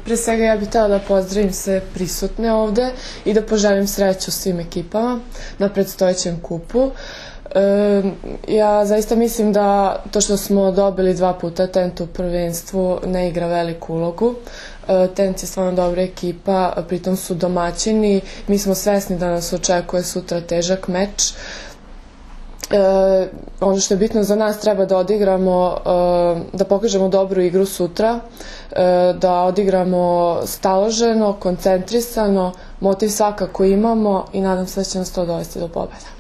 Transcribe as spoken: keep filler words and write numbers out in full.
Pre svega ja bih htela da pozdravim sve prisutne ovde i da poželim sreću svim ekipama na predstojećem kupu. Ja zaista mislim da to što smo dobili dva puta Tent u prvenstvu ne igra veliku ulogu. Tent je stvarno dobra ekipa, pritom su domaćini, mi smo svesni da nas očekuje sutra težak meč. Ono što je bitno za nas, treba da odigramo, da pokažemo dobru igru sutra, da odigramo staloženo, koncentrisano, motiv svakako imamo i nadam se da će nas to dovesti do pobjede.